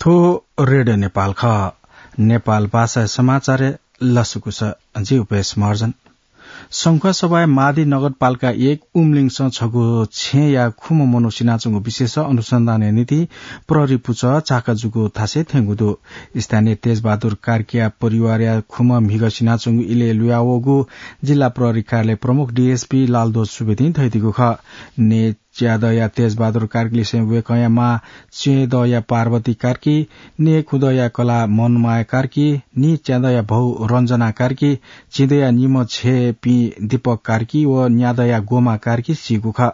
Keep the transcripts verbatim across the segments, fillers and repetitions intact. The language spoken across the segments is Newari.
थ्व रेडियो नेपाल खः। नेपाल भाषाया समाचारय् लसकुस। जि उपेश महर्जन। संखुवासभाय् मादी नगरपालिका एक उमलिङसं छगू छेँया खुम्ह मनू सिनाच्वंगु विषयस अनुसन्धानया निंतिं प्रहरी पुचः चाकजुगु थासय् थ्यंगु दु। स्थानीय तेजबहादुर कार्कीया परिवारया खुम्ह म्हिगः सिनाच्वंगु इलय् लुयावःगु जिल्ला प्रहरी कार्यालय प्रमुख डीएसपी लालध्वज सुवेदीं धयादीगु खः। ने च्यादँया तेजबहादुर कार्कीलिसें वय्कःया मां च्येदँया पार्वती कार्की, ने खुदँया कलाः मनमाया कार्की, नीच्यादँया भौ रञ्जना कार्की, चिदँया निम्ह छेँपिं दीपक कार्की व न्यादँया गोमा कार्की सीगु खः।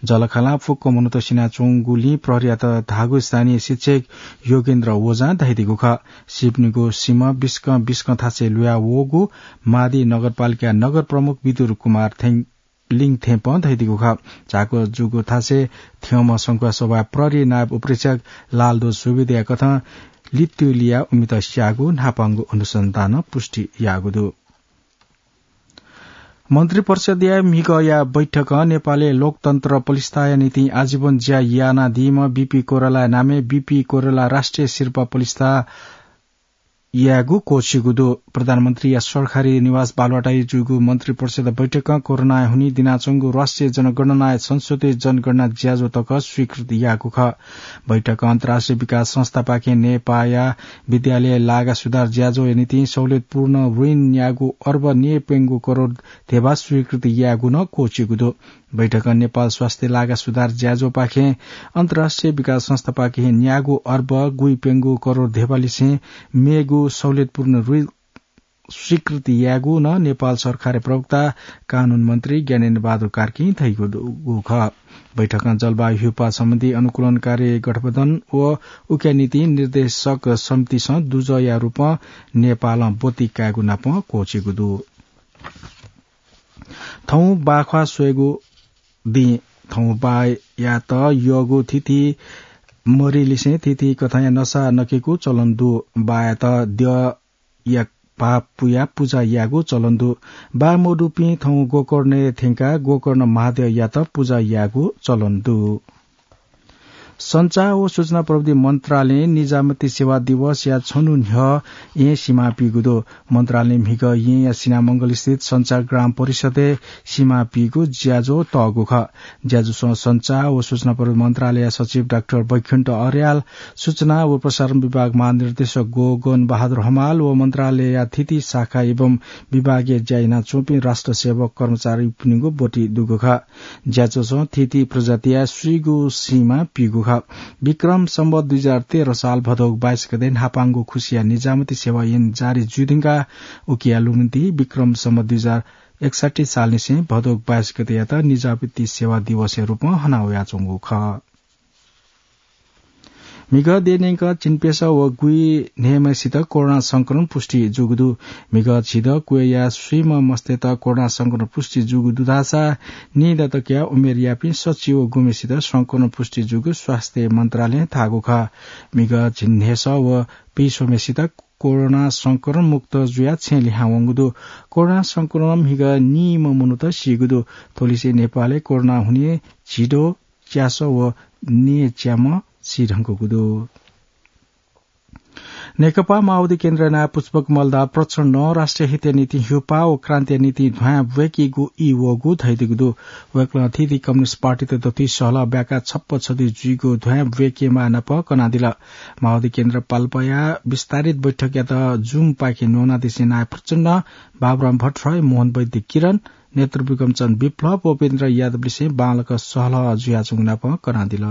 जःलाखःलां फुक्क मनूत सिनाच्वंगुलिं प्रहरीयात धाःगु स्थानीय शिक्षक योगेन्द्र ओझां धयादीगु खः। सीपिनिगु सीम्ह बिस्कं बिस्कं थासय् लुयावःगु मादी नगरपालिका नगर प्रमुख विदुर कुमार थें लिङ थेंपं धयादीगु खः। चाकजुगु थासय् थ्यंम्ह संखुवासभाय् प्रहरी नायब उपरीक्षक लालध्वज सुवेदीया कथं लित्तुलिया उमित स्याःगु न्हापांगु अनुसन्धानं पुष्टि याःगु दु। मन्त्रिपरिषदया म्हिगःया बैठकं नेपालय् लोकतन्त्र पलिस्ताया निंतिं आजीवन ज्या यानादीम्ह बीपी कोइरालाया नामय् बीपी कोइराला राष्ट्रिय सिरपाः पलिस्ता यायेगु क्वःछिगु दु। प्रधानमन्त्रीया सरकारी निवास बालुवाटारय् जूगु मन्त्रिपरिषद बैठकं कोरोनाया हुनिं दिनाच्वंगु राष्ट्रिय जनगणनाया संशोधित जनगणना ज्याझ्वः तक स्वीकृति याःगु खः। बैठकं अन्तर्राष्ट्रिय विकास संस्थापाखें नेपाःया विद्यालय लागा सुधार ज्याझ्वःया निंतिं सहुलियतपूर्ण ऋण न्यागू अर्ब न्यय्प्यंगू करोड धेबा स्वीकृति यायेगु नं क्वःछिगु दु। बैठकं नेपाल स्वास्थ्य लागा सुधार ज्याझ्वःपाखें अन्तर्राष्ट्रिय विकास संस्थापाखें न्यागू अर्ब गुइप्यंगू करोड धेबालिसें मेगु सहुलियतपूर्ण ऋण स्वीकृति यायेगु नं नेपाल सरकारया प्रवक्ता कानून मन्त्री ज्ञानेन्द्र बहादुर कार्कीं धयादीगु खः। बैठकं जलवायु ह्यूपाः सम्बन्धी अनुकूलनकारी गठबन्धन व उकिया निंतिं निर्देशक समितिसं दुजःया रूपं नेपालं ब्वति कायेगु नापं क्वःछिगु दु। थौं बाख्वाः स्वयेगु दिं। थौं बाःयात यःगु थीथी मरिलिसें थीथी कथंया नसा नकेगु चलन दु। बाःयात द्यःया भाः पुयाः पुजा यायेगु चलन दु। बाः मदुपिं थौं गोकर्णय् थ्यंकाः गोकर्ण महाद्यःयात पुजा यायेगु चलन दु। सञ्चार व सूचना प्रविधि मन्त्रालयं निजामती सेवा दिवसया छन्हु न्ह्यः येँ सिमा पीगु दु। मन्त्रालयं म्हिगः येँया सिनामंगल स्थित सञ्चार ग्राम परिषदय् सिमा पीगु ज्याझ्वः तःगु खः। ज्याझ्वलय् सञ्चार व सूचना प्रविधि मन्त्रालयया सचिव डाक्टर वैकुण्ठ अर्याल, सूचना व प्रसारण विभाग महानिर्देशक गगन बहादुर हमाल व मन्त्रालयया थीथी शाखा एवं विभागय् ज्या यानाच्वंपिं राष्ट्र सेवक कर्मचारीपिनिगु ब्वति दुगु खः। ज्याझ्वलं थीथी प्रजातिया स्वीगू सिमा पीगु खः। विक्रम सम्वत दुई हजार तेह्र साल भदौ बाइस गते न्हापांगु खुसिया निजामती सेवा येँ जारी जुइ धुंकाः उकिया लुमन्ति विक्रम सम्वत दुई हजार एकसट्ठी सालनिसें भदौ बाइस गतेयात निजामती सेवा दिवसया रूपं हना वयाच्वंगु खः। म्हिगः देय् न्यंक झिंप्यसः व गुइन्हय्म्हय्सित कोरोना संक्रमण पुष्टि जूगु दु। म्हिगः झिदँ क्वय्या स्वीम्ह मस्तय्त कोरोना संक्रमण पुष्टि जूगु दु धाःसा निदँ तकया उमेरयापिं सच्छि व गुम्हय्सित संक्रमण पुष्टि जूगु स्वास्थ्य मन्त्रालयं धाःगु खः। म्हिगः झिंन्हय्सः व पीस्वम्हय्सित कोरोना संक्रमण मुक्त जुयाः छेँ लिहां वंगु दु। कोरोना संक्रमणं म्हिगः नीम्ह मनूत सीगु दु। थ्वलिसें नेपालय् कोरोना हुनिं झिदँ च्यासः व नीच्याम्ह सी धुंकूगु दु। नेकपा माओवादी केन्द्रया नायः पुष्पकमल दाहाल प्रचण्डं राष्ट्रिय हितया निंतिं ह्यूपाः व क्रान्तिया निंतिं ध्वाँय् ब्वय्केगु ई वःगु धयादीगु दु। वय्कलं थीथी कम्युनिस्ट पार्टीत दथुइ सहलह ब्याकाः छप्पँ छथुइ जुइगु ध्वाँय् ब्वय्केमाः नाप कनादिल। माओवादी केन्द्र पाल्पाया विस्तारित बैठकयात Zoom पाखें न्वनादिसें नायः प्रचण्डं बाबुराम भट्टराई, मोहन वैद्य किरण, नेत्र विक्रमचन्द्र विप्लव व उपेन्द्र यादवलिसें बांलाक सहलह जुयाच्वंगु नाप कनादिल।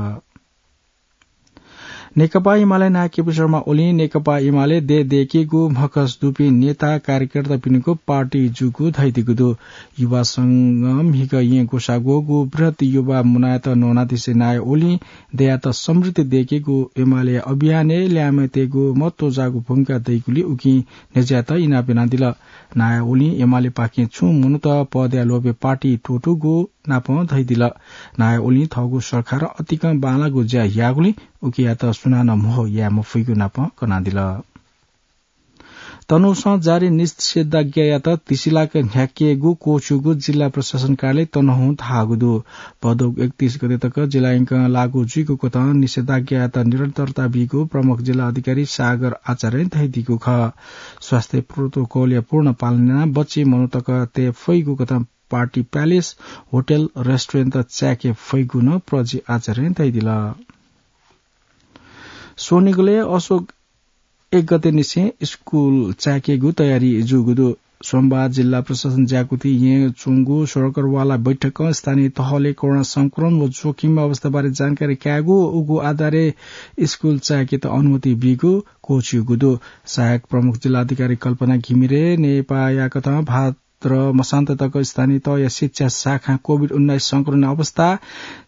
नेकपा एमाले नायः केपी शर्मा ओलीं नेकपा एमाले देय् दय्केगु म्हखस दुपिं नेता कार्यकर्तापिनिगु पार्टी जूगु धयादीगु दु। युवा संघं म्हिगः येँ ग्वसाः ग्वःगु बृहत् युवा मुनाय्त न्वनादिसें नायः ओलीं देय्यात समृद्धि दय्केगु एमाले अभियानय् ल्याय्म्हय्तय्गु महत्वजाःगु भूमिका दइगुलिं उकिं न्ह्यज्याःत इनाप यानादिल। नायः ओलीं एमालेपाखें छुं मनूत पदया लोभय् पार्टी त्वःतूगु नापं धयादिल। नायः ओलीं थःगु सरकारं अतिकं बांलाःगु ज्या याःगुलिं उकियात सुनानं म्हो याये मफइगु नापं कनादिल। तनहुँसं जारी निषेधाज्ञायात तिसिलाक न्ह्याकेगु क्वःछिउगु जिल्ला प्रशासन कार्यालय तनहुँं धाःगु दु। भदौ एकतीस गते तक जिल्ला यंकं लागू जुइगु कथं निषेधाज्ञायात निरन्तरता बीगु प्रमुख जिल्ला अधिकारी सागर आचार्यं धयादीगु खः। स्वास्थ्य प्रोटोकलया पूर्ण पालन यानाः बच्चे मनूतक तये फइगु कथं पार्टी प्यालेस, होटल, रेस्टुरेन्ट चाय्के फइगु नं प्रजि आचार्यं धयादिल। स्वनिगलय् असोज एक गते निसें स्कूल चाय्केगु तयारी जूगु दु। सोमबार जिल्ला प्रशासन ज्याकुथि येँ च्वंगु सर्कलवाला बैठकं स्थानीय तहले कोरोना संक्रमण व जोखिम अवस्थाबारे जानकारी कायेगु, उगु आधारय् स्कूल चाय्केत अनुमति बीगु क्वःछिउगु दु। सहायक प्रमुख जिल्ला अधिकारी कल्पना घिमिरे नेपाःया कथं भाद्र मसान्त तक स्थानीय तहया शिक्षा शाखां कोभिड उन्नाइस संक्रमण अवस्था,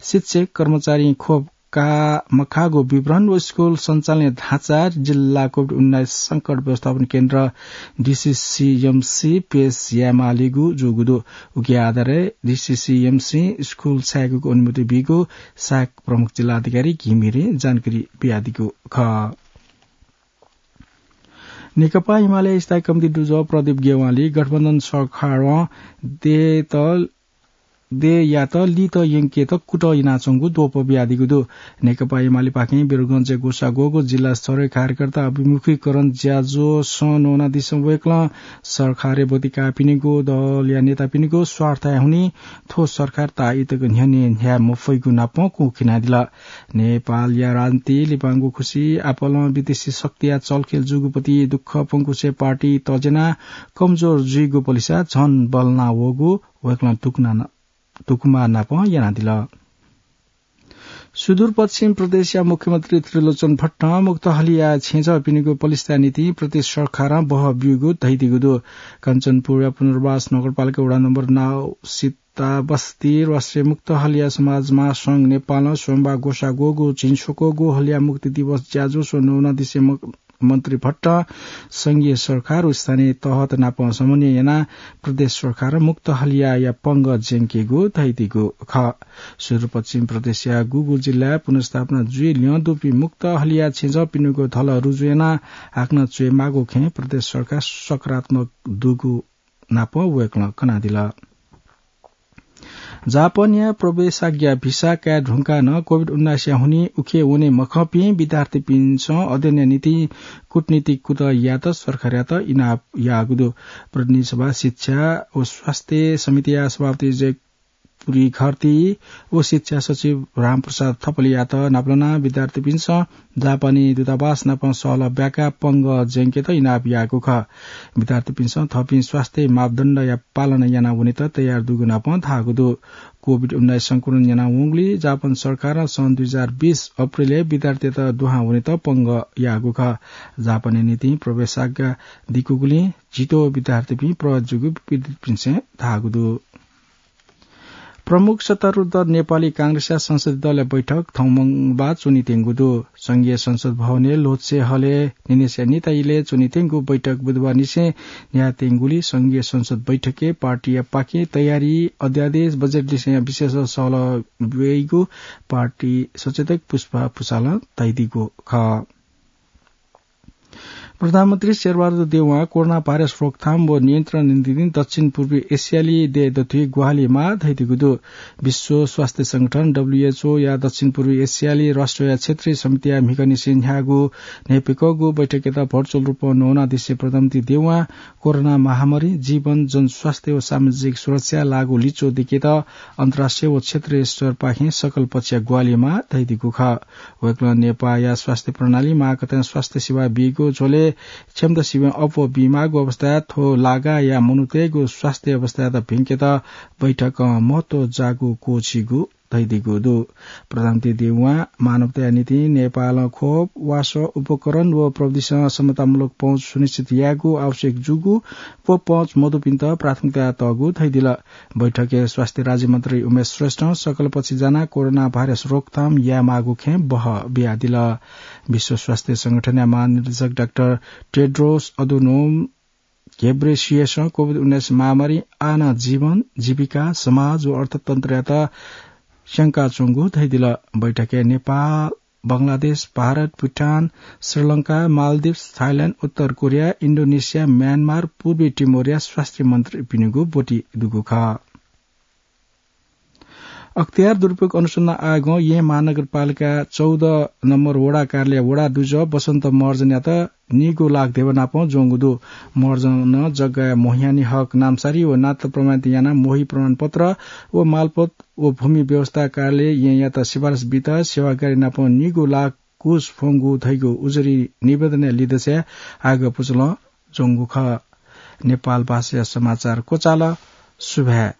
शिक्षक कर्मचारी खोप का मखाःगु विवरण व स्कूल सञ्चालनया ढाँचा, जिल्ला कोभिड उन्नाइस संकट व्यवस्थापन केन्द्र, डिसिसिएमसी, पेश यायेमालीगु जूगु दु। उकिया आधारय् डिसिसिएमसी स्कूल चाय्केगु अनुमति बीगु सहायक प्रमुख जिल्ला अधिकारी घिमिरे जानकारी बियादीगु खः। नेकपा एमाले स्थायी कमिटी दुजः प्रदीप गेवाली गठबन्धन सरकारं देय्त देय्‌यात लित यंकेत कुतः यानाच्वंगु द्वपं बियादीगु दु। नेकपा एमालेपाखें वीरगञ्जय् ग्वसाः ग्वःगु जिल्ला स्तरीय कार्यकर्ता अभिमुखीकरण ज्याझ्वः सं न्वनादिसँ वय्‌कलं सरकारय् ब्वति काःपिनिगु दलया नेतापिनिगु स्वार्थया हुनिं थ्व सरकार ताःईतक न्ह्यःने न्ह्याये मफइगु नापं कुंखिनादिल। नेपालया राजनीति लिपांगु खुसि आपालं विदेशी शक्तिया चलखेल जूगु प्रति दुःख पंकुसे पार्टी तज्यानाः कमजोर जुइगु पलिसा झन बल्लाना वःगु वय्‌कलं दुःखना-, दुःखमाः नापं यानादिल। सुदूरपश्चिम प्रदेशया मुख्यमन्त्री त्रिलोचन भट्टं मुक्तहलिया छेँजःपिनिगु पलिस्ताया निंतिं प्रदेश सरकारं बहः ब्यूगु धयादीगु दु। कञ्चनपुरया पुनर्वास नगरपालिका वडा नम्बर नौ सिताबस्ती राष्ट्रिय मुक्तहलिया समाज महासंघ नेपालं सोमबार ग्वसाः ग्वःगु झिंस्वक्वःगु हलिया मुक्ति दिवस ज्याझ्वः न्वनादिसँ म-, मन्त्री भट्टं संघीय सरकार व स्थानीय तहत नाप समन्वय यानाः प्रदेश सरकारं मुक्तहलियाया पंगः ज्यंकेगु धयादीगु खः। सुदूरपश्चिम प्रदेशया गुगु जिल्लाय् पुनर्स्थापना जुइ ल्यं दुपिं मुक्तहलिया छेँजःपिनिगु धलः रुजु यानाः हाकनं च्वयेमाःगु खँय् प्रदेश सरकार सकारात्मक दुगु नाप वय्‌कलं कनादिल। जापानया प्रवेशाज्ञा भिसा काये धुंकाः नं कोभिड उन्नाइसया हुनिं उखे वने मखंपिं विद्यार्थीपिन्सं अध्ययनया निंतिं कूटनीतिक कुतः यायेत सरकारयात इनाप याःगु दु। प्रतिनिधि सभा शिक्षा व स्वास्थ्य समितिया सभापति जय पुरी घरती व शिक्षा सचिव रामप्रसाद थपलियात नापलानाः विद्यार्थीपिन्सं जापानी दूतावास नाप सहलह ब्याकाः पंगः ज्यंकेत इनाप याःगु खः। विद्यार्थीपिन्सं थःपिं स्वास्थ्य मापदण्डया पालना यानाः वनेत तयार दुगु नाप धाःगु दु। कोभिड उन्नाइस संक्रमण यानावंगुलिं जापान सरकारं सन् दुई हजार बीस अप्रिलय् विद्यार्थीत दुहां वनेत पंगः याःगु खः। जापानया निंतिं प्रवेशाज्ञा दिकूगुलिं झिद्वः विद्यार्थीपिं प्रभावित जूगु विद्यार्थीपिन्सं धाःगु दु। प्रमुख सत्तारूढ दल नेपाली कांग्रेसया संसदीय दलया बैठक थौं मंगलबार च्वनीत्यंगु दु। संघीय संसद भवनय् ल्होत्से हलय् न्हिनय्‌सिया न्हिता इलय् च्वनीत्यंगु बैठक बुधबार निसें न्ह्याःत्यंगुलिं संघीय संसद बैठकय् पार्टीया पाखें तयारी, अध्यादेश, बजेट लिसेंया विषयय् सहलह ब्यूगु पार्टी सचेतक पुष्पा पुचालं धयादीगु खः। प्रधानमन्त्री शेरबहादुर देउवां कोरोना भाइरस रोकथाम व नियन्त्रणया निंतिं दक्षिण पूर्वी एसियाली देय् दथुइ ग्वाहालि माः धयादीगु दु। विश्व स्वास्थ्य संगठन, डब्ल्युएचओ, या दक्षिण पूर्वी एसियाली राष्ट्रया क्षेत्रीय समितिया म्हिगःनिसें न्ह्याःगु न्हय्‌प्यंकःगु बैठकयात भर्चुअल रूपं न्वनादिसें प्रधानमन्त्री देउवां कोरोना महामारी, जीवन, जनस्वास्थ्य व सामाजिक सुरक्षा लाःगु लिच्वः दिकेत अन्तर्राष्ट्रिय व क्षेत्रीय स्तरपाखें सकल पक्षया ग्वाहालि माः धयादीगु खः। वय्‌कलं नेपाःया स्वास्थ्य प्रणाली माःकथं स्वास्थ्य सेवा बीगु झ्वलय् क्षमता सिबें अप्वः बीमाःगु अवस्थाय् थ्व लागाःया मनूतय्‌गु स्वास्थ्य अवस्थायात भिंकेत बैठकं महत्व जाःगु क्वःछीगु धयादीगु दु। प्रधानमन्त्री देउवां मानवताया निंतिं नेपालं खोप, वासः, उपकरण व प्रविधिसं क्षमतामूलक पहुँच सुनिश्चित यायेगु आवश्यक जूगु व पहुँच मदुपिन्त प्राथमिकता तःगु धयादिल। बैठकय् स्वास्थ्य राज्यमन्त्री उमेश श्रेष्ठं सकल पक्ष जानाः कोरोना भाइरस रोकथाम यायेमाःगु खँय् बहः बियादिल। विश्व स्वास्थ्य संगठनया महानिर्देशक डाक्टर टेड्रोस अधनोम घेब्रेसियसं कोभिड उन्नाइस महामारीं आः नं जीवन, जीविका, समाज व अर्थतन्त्रयात स्यंकाच्वंगु धयादिल। बैठकय् नेपाल बंगलादेश, भारत, भुटान, श्रीलंका, मालदिप्स, थाइल्याण्ड, उत्तर कोरिया, इन्डोनेसिया, म्यानमार, पूर्वी टिमोरया स्वास्थ्य मन्त्रीपिनिगु ब्वति दुगु खः। अख्तियार दुरुपयोग अनुसन्धान आयोगं येँ महानगरपालिका चौध नम्बर वडा कार्यालय वडा दुजः बसन्त महर्जनयात नीगू लाख देवा नापं ज्वंगु दु। महर्जनं जग्गाया मोहियानी हक नामसारी व नाता प्रमाणित यानाः मोही प्रमाणपत्र व मालपोत व भूमि व्यवस्था कार्यालय येँयात सिफारिस बीत सेवाग्राही नापं नीगू लाख घुस फ्वंगु धइगु उजुरी निवेदनया लिदँसाय् आयोगया पुचलं ज्वंगु खः। नेपाल भाषाया समाचार क्वचाल। सुभाय्।